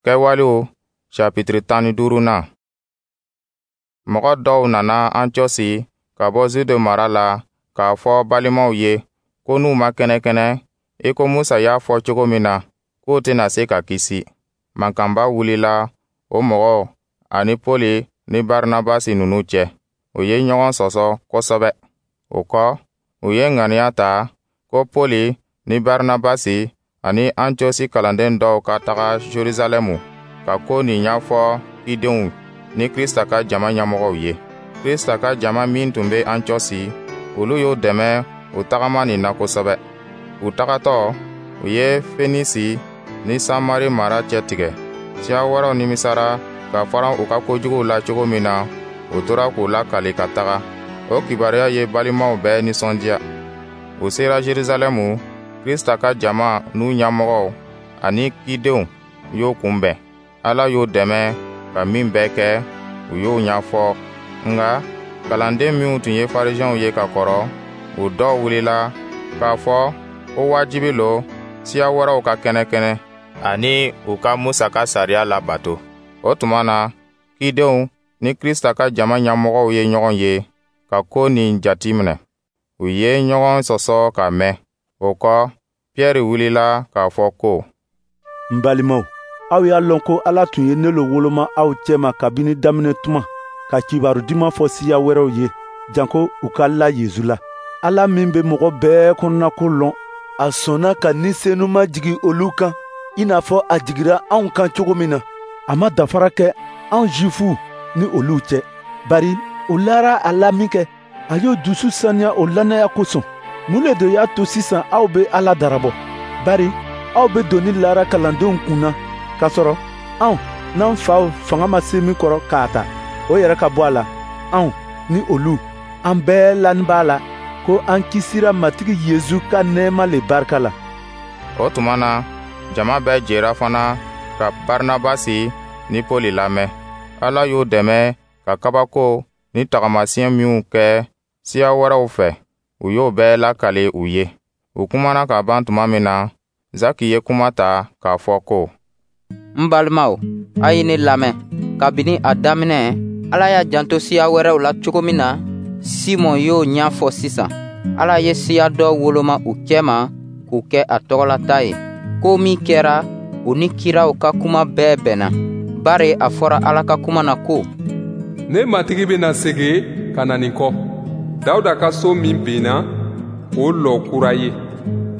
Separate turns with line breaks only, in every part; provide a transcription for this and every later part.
Kɛwalew sapitiri 15nan. Mɔgɔ dɔw nana Antiyɔsi ka bɔ Zude mara la k'a fɔ balimaw ye ko n'u ma kɛnɛkɛnɛ i ko Musa y'a fɔ cogo min na, k'u tɛna se ka kisi. Mankanba wulila o mɔgɔw ani Pɔli ni Barinabasi ninnu cɛ. U ye ɲɔgɔn sɔsɔ kosɛbɛ. O kɔ, u ye ŋaniya ta ko Pɔli ni Barinabasi ani Antiyɔsi kalanden dɔw ka taga Jerusalɛmu ka ko nin ɲɛfɔ cidenw ni Krista ka jama ɲɛmɔgɔw ye. Krista ka jama min tun bɛ Antiyɔsi, olu y'u dɛmɛ u tagama nin na kosɛbɛ. U tagatɔ, u ye Fenisi ni Samari mara cɛtigɛ. Siya wɛrɛw nimisara ka faran u ka kojuguw la cogo min na, u tora k'u lakali ka taga. O kibaruya ye balimaw bɛɛ nisɔndiya. U sera Jerusalɛmu, Krista ka jama n'u ɲɛmɔgɔw ani cidenw y'u kunbɛn. Ala y'u dɛmɛ ka min bɛɛ kɛ, u y'o ɲɛfɔ. Nka kalanden minw tun ye Farisiɛnw ye ka kɔrɔ, u dɔw wulila k'a fɔ ko wajibi lo siya wɛrɛw ka kɛnɛkɛnɛ ani u ka Musa ka sariya labato. O tuma na, cidenw ni Krista ka jama ɲɛmɔgɔw ye ɲɔgɔn ye ka ko nin jatiminɛ. U ye ɲɔgɔn sɔsɔ ka mɛn. O kɔ, Piyɛri wulila k'a fɔ ko:
N balimaw, aw y'a lɔn ko Ala tun ye ne lo woloma aw cɛma kabini daminɛ tuma ka kibaru duman fɔ siya wɛrɛw ye, janko u ka la Yezu la. Ala min bɛ mɔgɔ bɛɛ kɔnɔnako lɔn, a sɔnna ka Ni Senuma jigi olu kan i n'a fɔ a jigira anw kan cogo min na. A ma dafara kɛ anw Jufuw ni olu cɛ, bari u lara a la minkɛ, a y'o dusu saniya o lannaya kosɔn. Mun le de y'a to sisan aw bɛ Ala darabɔ? Bari aw bɛ doni lara kalandenw kun na, k'a sɔrɔ anw n'an faw fanga ma se min kɔrɔ k'a ta, o yɛrɛ ka bɔ a la. Anw ni olu, an bɛɛ lani b'a la ko an kisira Matigi Yezu ka nɛɛma le barika la.
O tuma na, jama bɛɛ jɛra fana ka Barinabasi ni Pɔli lamɛn. Ala y'u dɛmɛ ka kabako ni tagamasiyɛn minw kɛ siya wɛrɛw fɛ, u y'o bɛɛ lakali u ye. U kumana ka ban tuma min na, Zaki ye kuma ta k'a fɔ ko:
N balimaw, a ye ne lamɛn. Kabini a daminɛ, Ala y'a janto siya wɛrɛw la cogo min na, Simɔn y'o ɲɛfɔ sisan. Ala ye siya dɔ woloma u cɛma k'u kɛ a tɔgɔlata ye. Ko min kɛra, o ni kiraw ka kuma bɛɛ bɛnna, bari a fɔra Ala ka kuma na ko:
Ne Matigi bɛna segin ka na nin kɔ, Dawuda ka so min binna, k'o lɔ kura ye.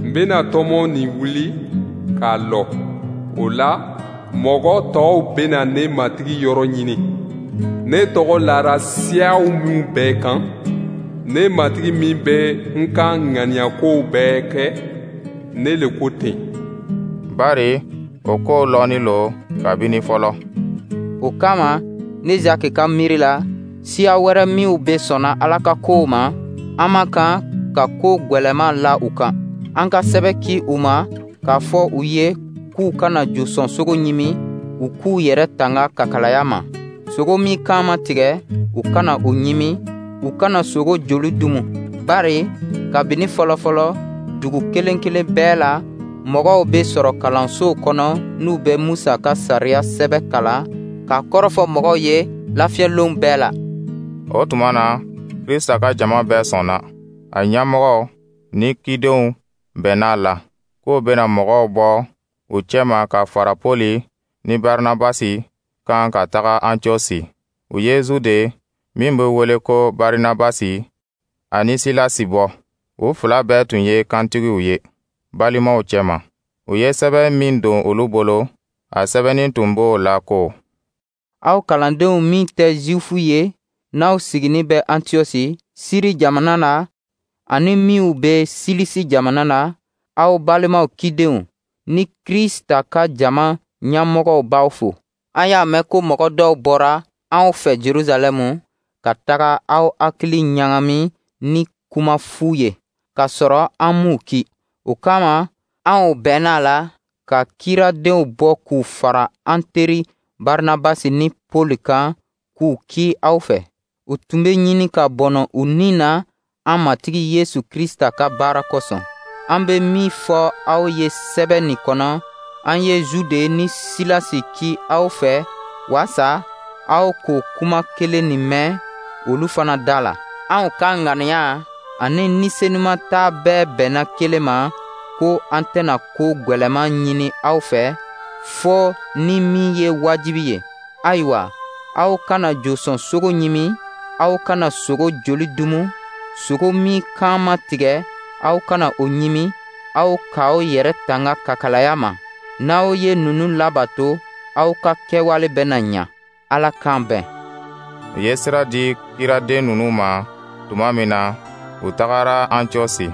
N bɛna tɔmɔ nin wuli k'a lɔ. O la, mɔgɔ tɔw bɛna ne Matigi yɔrɔ ɲini. Ne tɔgɔ lara siyaw minw bɛɛ kan, ne Matigi min bɛ n ka ŋaniyakow bɛɛ kɛ, ne le ko ten.
Bari o kow lɔnnin lo kabini fɔlɔ.
O kama, ne Zaki ka miiri la, siya wɛrɛ minw bɛ sɔnna Ala ka kow ma, an man kan ka ko gwɛlɛman la u kan. An ka sɛbɛ ci u ma k'a fɔ u ye k'u kana josɔn sogo ɲimi, u k'u yɛrɛ tanga kakalaya ma. Sogo min kan ma tigɛ, u kana o ɲimi, u kana sogo joli dumu. Bari kabini fɔlɔfɔlɔ, dugu kelen kelen bɛɛ la, mɔgɔw bɛ sɔrɔ kalansow kɔnɔ n'u bɛ Musa ka sariya sɛbɛ kalan k'a kɔrɔfɔ mɔgɔw ye lafiyɛlonw bɛɛ la.
O tuma na, Krista ka jama bɛɛ sɔnna. A ɲɛmɔgɔw ni cidenw bɛnna a la k'u bɛna mɔgɔw bɔ u cɛma ka fara Pɔli ni Barinabasi kan ka taga Antiyɔsi. U ye Zude min bɛ wele ko Barinabasi ani Silasi bɔ. U fila bɛɛ tun ye kantigiw ye balimaw cɛma. U ye sɛbɛn min don olu bolo, a sɛbɛnnin tun b'o la ko:
Aw kalandenw min tɛ Zifu ye, n'aw siginin bɛ Antiyɔsi, Siri jamana na, ani minw bɛ Silisi jamana na, aw balimaw cidenw ni Krista ka jama ɲɛmɔgɔw b'aw fo. An y'a mɛn ko mɔgɔ dɔw bɔra anw fɛ Jerusalɛmu ka taga aw hakili ɲagami ni kuma fu ye, k'a sɔrɔ an m'u ci. O kama, anw bɛnna a la ka kiradenw bɔ k'u fara an teri Barinabasi ni Pɔli kan k'u ci aw fɛ. U tun bɛ ɲini ka bɔnɔ u ni na an Matigi Yesu Krista ka baara kosɔn. An bɛ min fɔ aw ye sɛbɛ nin kɔnɔ, An ye Zude ni Silasi ci aw fɛ waasa aw k'o kuma kelen nin mɛn olu fana da la. Anw ka ŋaniya ani Ni Senuma ta bɛɛ bɛnna kelen ma ko an tɛna ko gwɛlɛman ɲini aw fɛ, fɔ ni min ye wajibi ye. Ayiwa, aw kana josɔn sogo ɲimi, aw kana sogo joli dumu, sogo min kan ma tigɛ, aw kana o ɲimi, aw k'aw yɛrɛ tanga kakalaya ma. N'aw ye ninnu labato, aw ka kɛwale bɛna ɲa. Ala k'an bɛn.
U ye sira di kiraden ninnu ma tuma min na, u tagara Antiyɔsi.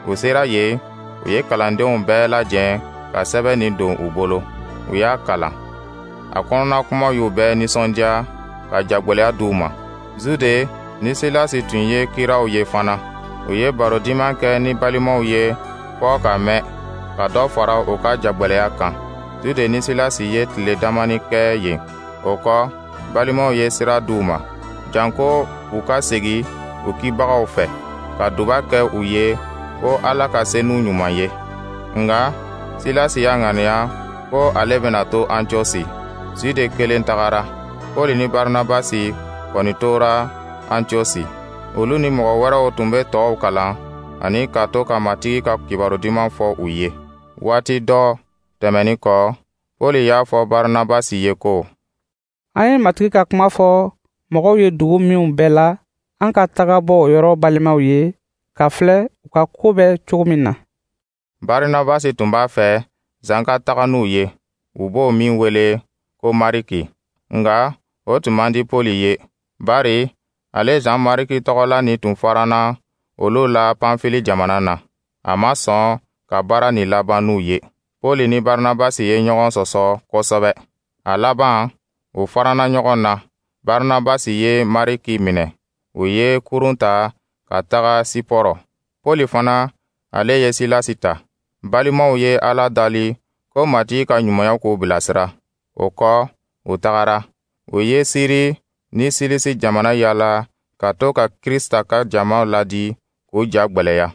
U sera yen, u ye kalandenw bɛɛ lajɛ ka sɛbɛn nin don u bolo. U y'a kalan. A kɔnɔna kumaw y'u bɛɛ nisɔndiya ka jagwɛlɛya d'u ma. Zude ni Silasi tun ye kiraw ye fana. U ye barodiman kɛ ni balimaw ye fɔɔ ka mɛn, ka dɔ fara u ka jagwɛlɛya kan. Zude ni Silasi ye tile damani kɛ yen. O kɔ, balimaw ye sira d'u ma, janko u ka segin u kibagaw fɛ, ka duba kɛ u ye ko Ala ka se n'u ɲuman ye. Nka Silasi y'a ŋaniya ko ale bɛna to Antiyɔsi. Zude kelen tagara. Pɔli ni Barinabasi kɔni tora Antiyɔsi. Olu ni mɔgɔ wɛrɛw tun bɛ tɔw kalan ani ka to ka Matigi ka kibaru duman fɔ u ye. Waati dɔ tɛmɛnin kɔ, Pɔli y'a fɔ Barinabasi ye ko:
An ye Matigi ka kuma fɔ mɔgɔw ye dugu minw bɛɛ la, an ka taga bɔ o yɔrɔ balimaw ye ka filɛ u ka ko bɛ cogo min na.
Barinabasi tun b'a fɛ Zan ka taga n'u ye, u b'o min wele ko Mariki. Nka o tun man di Pɔli ye, bari ale Zan Mariki tɔgɔla nin tun faranna olu la Panfili jamana na. A ma sɔn ka baara nin laban n'u ye. Pɔli ni Barinabasi ye ɲɔgɔn sɔsɔ kosɛbɛ. A laban, u faranna ɲɔgɔn na. Barinabasi ye Mariki minɛ. U ye kurun ta ka taga Sipɔrɔ. Pɔli fana, ale ye Silasi ta. Balimaw ye Ala dali ko Matigi ka ɲumanya k'u bilasira. O kɔ, u tagara. U ye Siri ni Silisi jamana yaala ka to ka Krista ka jama ladi k'u ja gwɛlɛya.